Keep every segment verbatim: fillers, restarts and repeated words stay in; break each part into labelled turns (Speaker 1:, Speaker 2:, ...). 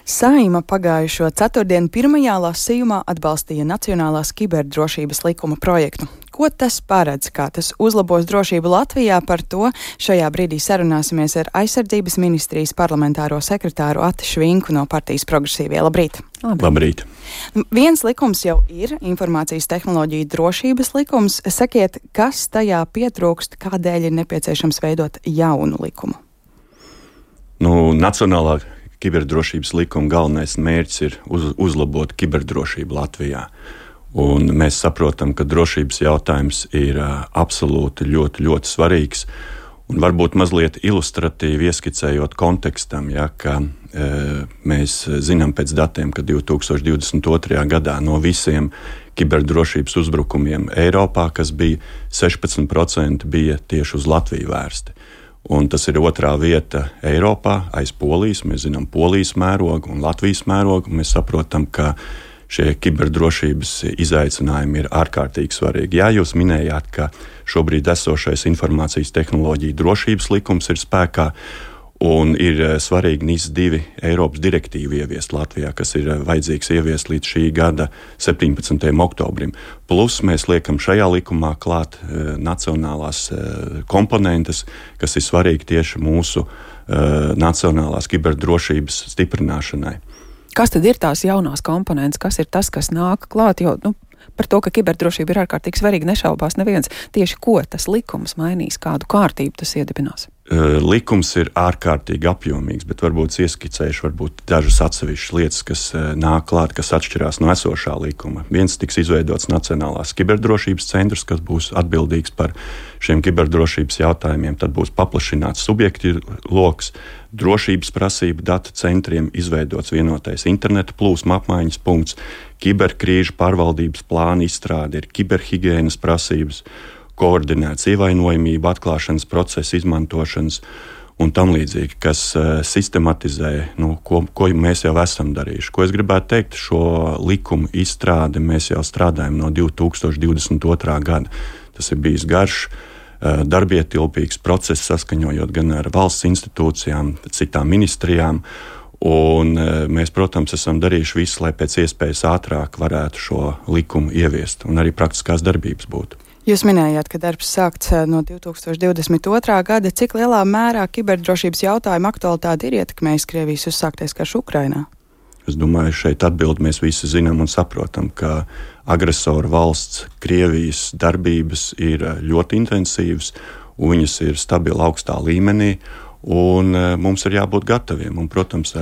Speaker 1: Saeima pagājušo ceturtdienu pirmajā lasījumā atbalstīja Nacionālās kiberdrošības likuma projektu. Ko tas paredz, kā tas uzlabos drošību Latvijā, par to šajā brīdī sarunāsimies ar Aizsardzības ministrijas parlamentāro sekretāru Ati Švinku no partijas Progresīvie. Labrīt!
Speaker 2: Labrīt!
Speaker 1: Viens likums jau ir informācijas tehnoloģija drošības likums. Sakiet, kas tajā pietrūkst, kādēļ ir nepieciešams veidot jaunu likumu?
Speaker 2: Nu, Nacionālā kiberdrošības likuma galvenais mērķis ir uz, uzlabot kiberdrošību Latvijā. Un mēs saprotam, ka drošības jautājums ir uh, absolūti ļoti, ļoti svarīgs. Un varbūt mazliet ilustratīvi ieskicējot kontekstam, ja, ka uh, mēs zinām pēc datiem, ka divi tūkstoši divdesmit otrajā gadā no visiem kiberdrošības uzbrukumiem Eiropā, kas bija sešpadsmit procenti, bija tieši uz Latviju vērsti. Un tas ir otrā vieta Eiropā aiz Polijas. Mēs zinām Polijas mērogu un Latvijas mērogu. Mēs saprotam, ka šie kiberdrošības izaicinājumi ir ārkārtīgi svarīgi. Jā, jūs minējāt, ka šobrīd esošais informācijas tehnoloģija drošības likums ir spēkā un ir svarīgi N I S divi Eiropas direktīvu ieviest Latvijā, kas ir vajadzīgs ieviest līdz šī gada septiņpadsmitajam oktobrim. Plus mēs liekam šajā likumā klāt e, nacionālās e, komponentes, kas ir svarīgi tieši mūsu e, nacionālās kiberdrošības stiprināšanai.
Speaker 3: Kas tad ir tās jaunās komponentes? Kas ir tas, kas nāk klāt? Jo, nu, par to, ka kiberdrošība ir ārkārtīgi svarīga, nešaubās neviens. Tieši ko tas likums mainīs, kādu kārtību tas iedibinās?
Speaker 2: Likums ir ārkārtīgi apjomīgs, bet varbūt ieskicējuši varbūt dažas atsevišķas lietas, kas nāk klāt, kas atšķirās no esošā likuma. Viens tiks izveidots Nacionālās kiberdrošības centrs, kas būs atbildīgs par šiem kiberdrošības jautājumiem. Tad būs paplašināts subjektu loks, drošības prasību data centriem, izveidots vienotais interneta plūsma apmaiņas punkts, kiberkrīžu pārvaldības plāna izstrāde, ir kiberhigienas prasības, koordinēts ievainojamību atklāšanas procesa izmantošanas un tam līdzīgi, kas uh, sistematizē, nu, ko, ko mēs jau esam darījuši. Ko es gribētu teikt, šo likumu izstrādi mēs jau strādājam no divi tūkstoši divdesmit otrā gada. Tas ir bijis garš, uh, darbietilpīgs process, saskaņojot gan ar valsts institūcijām, citām ministrijām. Un uh, mēs, protams, esam darījuši visu, lai pēc iespējas ātrāk varētu šo likumu ieviest un arī praktiskās darbības būtu.
Speaker 1: Jūs minējāt, ka darbs sākts no divi tūkstoši divdesmit otrā gada. Cik lielā mērā kiberdrošības jautājuma aktualitāte ir ietekmējis Krievijas uzsāktais karš Ukrainā?
Speaker 2: Es domāju, šeit atbildi mēs visi zinām un saprotam, ka agresora valsts Krievijas darbības ir ļoti intensīvas, un viņas ir stabili augstā līmenī, un mums ir jābūt gataviem. Un, protams,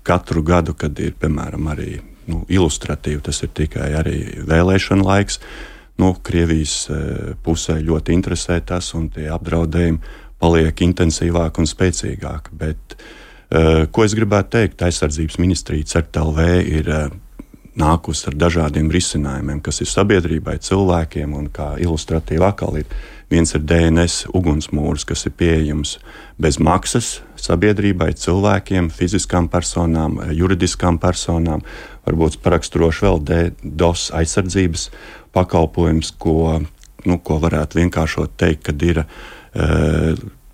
Speaker 2: katru gadu, kad ir, piemēram, arī nu, ilustratīvi, tas ir tikai arī vēlēšana laiks, Nu, Krievijas pusē ļoti interesē tas, un tie apdraudējumi paliek intensīvāk un spēcīgāk. Bet, ko es gribētu teikt, Aizsardzības ministrija C E R T L V ir nākusi ar dažādiem risinājumiem, kas ir sabiedrībai, cilvēkiem, un kā ilustratīvi atkal ir. Viens ir D N S ugunsmūrs, kas ir pieejams bez maksas sabiedrībai, cilvēkiem, fiziskām personām, juridiskām personām. Varbūt paraksturoši vēl DDoS aizsardzības pakalpojums, ko, nu, ko varētu vienkāršot teikt, kad ir e,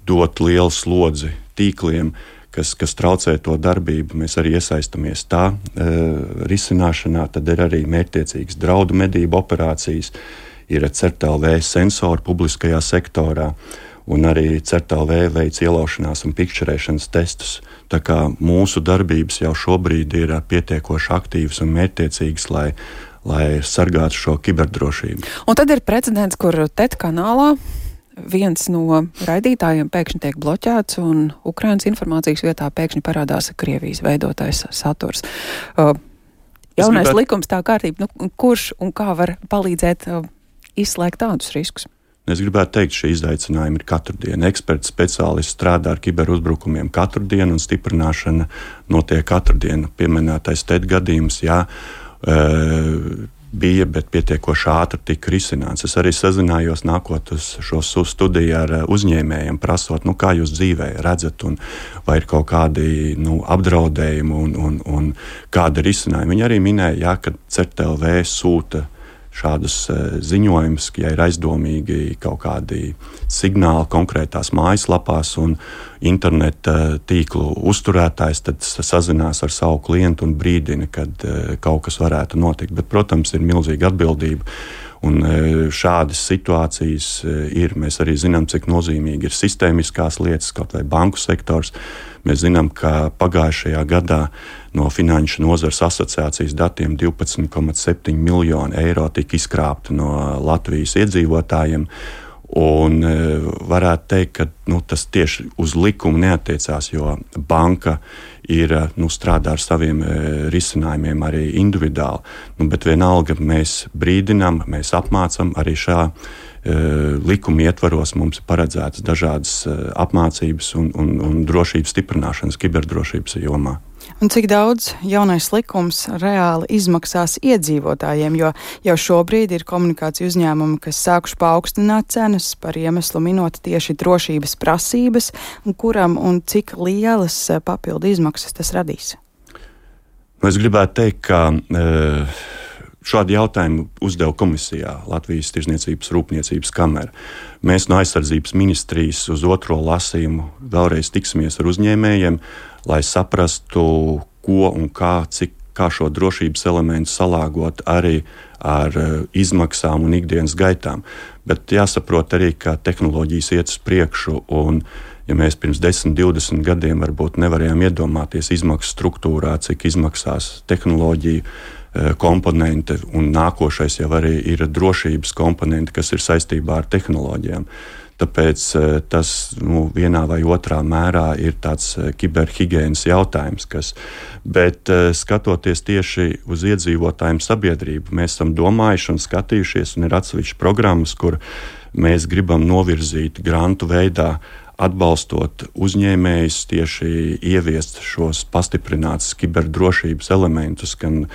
Speaker 2: dot lielu slodzi tīkliem, kas, kas traucē to darbību. Mēs arī iesaistamies tā e, risināšanā. Tad ir arī mērķtiecīgas draudu medību operācijas, ir C E R T L V sensori publiskajā sektorā, un arī C E R T L V veic ielaušanās un pikšķerēšanas testus. Tā kā mūsu darbības jau šobrīd ir pietiekoši aktīvas un mērķtiecīgas, lai lai sargātu šo kiberdrošību.
Speaker 3: Un tad ir precedents, kur T E T kanālā viens no raidītājiem pēkšņi tiek bloķēts un Ukrainas informācijas vietā pēkšņi parādās Krievijas veidotais saturs. Uh, jaunais gribētu... likums, tā kārtība, nu, kurš un kā var palīdzēt uh, izslēgt tādus riskus?
Speaker 2: Es gribētu teikt, šie izaicinājumi ir katru dienu. Eksperti, speciālisti strādā ar kiberuzbrukumiem katru dienu un stiprināšana notiek katru dienu. Pieminētais T E T gadījums, jā, bija, bet pietiekoši ātri tika risināts. Es arī sazinājos nākot uz šo studiju ar uzņēmējiem, prasot, nu, kā jūs dzīvē redzat, un vai ir kaut kādi nu, apdraudējumi un, un, un kāda risinājuma. Viņi arī minēja, jā, ka C E R T L V sūta šādus ziņojumus, ja ir aizdomīgi kaut kādi signāli konkrētās mājaslapās un interneta tīklu uzturētājs, tad sazinās ar savu klientu un brīdina, kad kaut kas varētu notikt. Bet, protams, ir milzīga atbildība. Un šādas situācijas ir. Mēs arī zinām, cik nozīmīgi ir sistēmiskās lietas, kaut vai banku sektors. Mēs zinām, ka pagājušajā gadā no Finanšu nozares asociācijas datiem divpadsmit komats septiņi miljoni eiro tika izkrāpti no Latvijas iedzīvotājiem. Un varētu teikt, ka nu, tas tieši uz likumu neatiecās, jo banka ir, nu, strādā ar saviem risinājumiem arī individuāli. Nu, bet vienalga mēs brīdinām, mēs apmācam arī šā likuma ietvaros. Mums ir paredzētas dažādas apmācības un, un, un drošības stiprināšanas kiberdrošības jomā.
Speaker 1: Un cik daudz jaunais likums reāli izmaksās iedzīvotājiem, jo jau šobrīd ir komunikācija uzņēmumi, kas sākuši paaugstināt cenas par iemeslu minot tieši drošības prasības, un kuram un cik lielas papildu izmaksas tas radīs?
Speaker 2: Es gribētu teikt, ka uh, šādu jautājumu uzdeva komisijā Latvijas Tirzniecības Rūpniecības kamera. Mēs no aizsardzības ministrijas uz otro lasījumu vēlreiz tiksimies ar uzņēmējiem, lai saprastu, ko un kā, cik, kā šo drošības elementu salāgot arī ar uh, izmaksām un ikdienas gaitām. Bet jāsaprot arī, ka tehnoloģijas iet uz priekšu, un ja mēs pirms desmit, divdesmit gadiem varbūt nevarējām iedomāties izmaksu struktūrā, cik izmaksās tehnoloģija uh, komponente, un nākošais jau arī ir drošības komponente, kas ir saistībā ar tehnoloģijām. Tāpēc tas nu, vienā vai otrā mērā ir tāds kiberhigienas jautājums. Kas, bet skatoties tieši uz iedzīvotājiem sabiedrību, mēs esam domājuši un skatījušies, un ir atsevišķas programmas, kur mēs gribam novirzīt grantu veidā, atbalstot uzņēmējus tieši ieviest šos pastiprinātus kiberdrošības elementus, gan,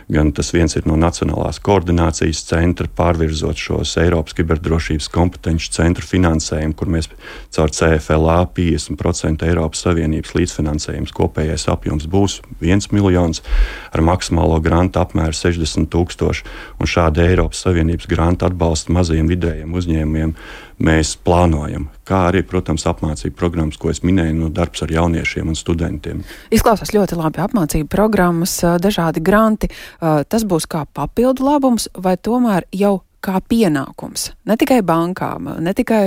Speaker 2: gan tas viens ir no Nacionālās koordinācijas centra, pārvirzot šos Eiropas kiberdrošības kompetenci centru finansējumu, kur mēs caur C F L A piecdesmit procenti Eiropas Savienības līdzfinansējums, kopējais apjoms būs viens miljons, ar maksimālo grantu apmēru sešdesmit tūkstoši, un šādi Eiropas Savienības grantu atbalsta mazajiem vidējiem uzņēmumiem mēs plānojam. Kā arī, protams, apmācību programmas, ko es minēju, no darbs ar jauniešiem un studentiem.
Speaker 3: Izklausās ļoti labi apmācību programmas, dažādi granti. Tas būs kā papildu labums vai tomēr jau kā pienākums? Ne tikai bankām, ne tikai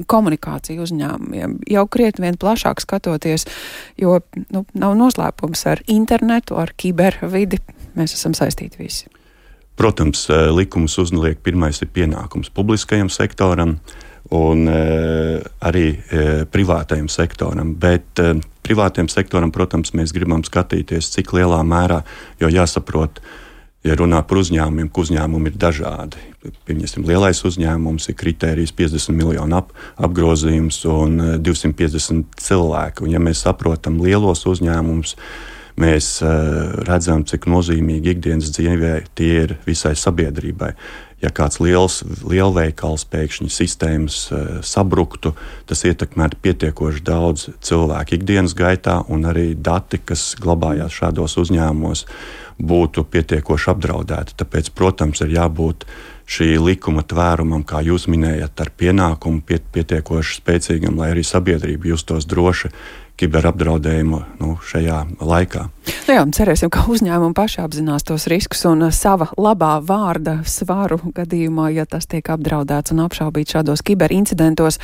Speaker 3: komunikāciju uzņēmumiem, jau krietni vien plašāk skatoties, jo nu, nav noslēpums ar internetu, ar kibervidi. Mēs esam saistīti visi.
Speaker 2: Protams, likums uzliek pirmais ir pienākums publiskajam sektoram, un e, arī e, privātajam sektoram. Bet e, privātajam sektoram, protams, mēs gribam skatīties, cik lielā mērā, jo jāsaprot, ja runā par uzņēmumiem, ka uzņēmumi ir dažādi. Pieņemsim, lielais uzņēmums ir kritērijs piecdesmit miljonu ap, apgrozījums un divsimt piecdesmit cilvēki. Un ja mēs saprotam lielos uzņēmumus, mēs uh, redzam, cik nozīmīgi ikdienas dzīvē tie ir visai sabiedrībai. Ja kāds liels lielveikals pēkšņi sistēmas uh, sabruktu, tas ietekmētu pietiekoši daudz cilvēku ikdienas gaitā, un arī dati, kas glabājās šādos uzņēmumos, būtu pietiekoši apdraudēti. Tāpēc, protams, ir jābūt šī likuma tvērumam, kā jūs minējat, ar pienākumu piet, pietiekoši spēcīgam, lai arī sabiedrība justos droši kiberapdraudējumu nu, šajā laikā.
Speaker 3: Nu jā, cerēsim, ka uzņēmumi paši apzinās tos riskus un sava labā vārda svaru gadījumā, ja tas tiek apdraudēts un apšaubīts šādos kiberincidentos.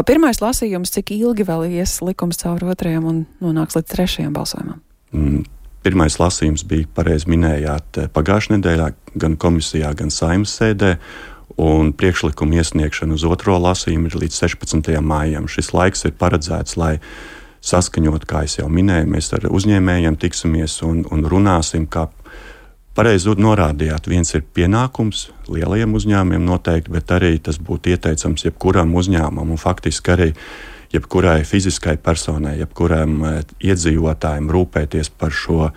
Speaker 3: Pirmais lasījums, cik ilgi vēl ies likums caur otrajam un nonāks līdz trešajam balsojumam?
Speaker 2: Mm. Pirmais lasījums bija, pareizi minējāt, pagājušajā nedēļā gan komisijā, gan Saeimas sēdē, un priekšlikuma iesniegšana uz otro lasījumu ir līdz sešpadsmitajam maijam. Šis laiks ir paredzēts, lai saskaņot, kā es jau minēju, mēs ar uzņēmējiem tiksimies un, un runāsim, kā pareizi norādījāt. Viens ir pienākums lielajiem uzņēmumiem noteikti, bet arī tas būtu ieteicams jebkuram uzņēmumam un faktiski arī jebkurai fiziskai personai, jebkuram iedzīvotājiem rūpēties par šo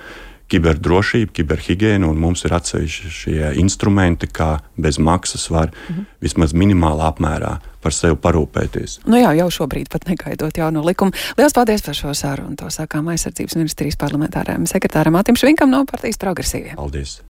Speaker 2: kiberdrošību, kiberhigienu, un mums ir atsevišķi šie instrumenti, kā bez maksas var mm-hmm. vismaz minimālā apmērā par sevi parūpēties.
Speaker 3: Nu jā, jau šobrīd pat negaidot jauno likumu. Lielas paldies par šo sarunu. To sākām aizsardzības ministrijas parlamentārajam sekretāram Mātim Švinkam no partijas Progresīvie.
Speaker 2: Paldies!